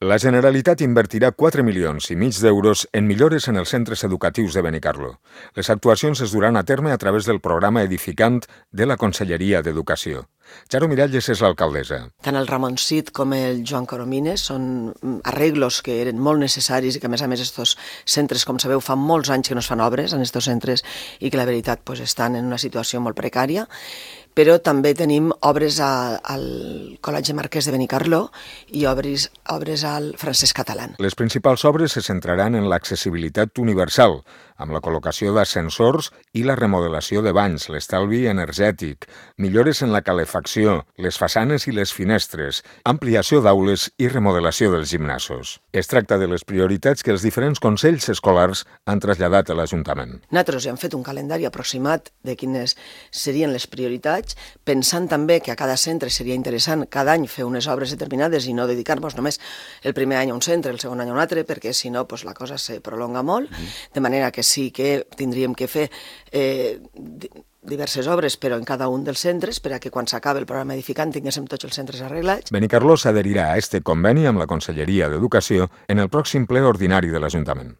La Generalitat invertirà 4,5 milions d'euros en millores en els centres educatius de Benicarló. Les actuacions es duran a terme a través del programa Edificant de la Conselleria d'Educació. Charo Miralles és l'alcaldessa. Tant el Ramon Cid com el Joan Coromines són arreglos que eren molt necessaris i que, a més, estos centres, com sabeu, fa molts anys que no es fan obres en estos centres i que, la veritat, estan en una situació molt precària. Però també tenim obres al Col·legi Marquès de Benicarló i obres al Francesc Catalán. Les principals obres se centraran en l'accessibilitat universal, amb la col·locació d'ascensors i la remodelació de banys, l'estalvi energètic, millores en la calefacció, les façanes i les finestres, ampliació d'aules i remodelació dels gimnasos. Es tracta de les prioritats que els diferents consells escolars han traslladat a l'Ajuntament. Nosaltres hem fet un calendari aproximat de quines serien les prioritats, pensant també que a cada centre seria interessant cada any fer unes obres determinades i no dedicar-nos només el primer any a un centre, el segon any a un altre, perquè si no la cosa se prolonga molt, de manera que sí que tindríem que fer diverses obres, però en cada un dels centres, per a que quan s'acabi el programa edificant tinguéssim tots els centres arreglats. Benicarló s'adherirà a este conveni amb la Conselleria d'Educació en el pròxim ple ordinari de l'Ajuntament.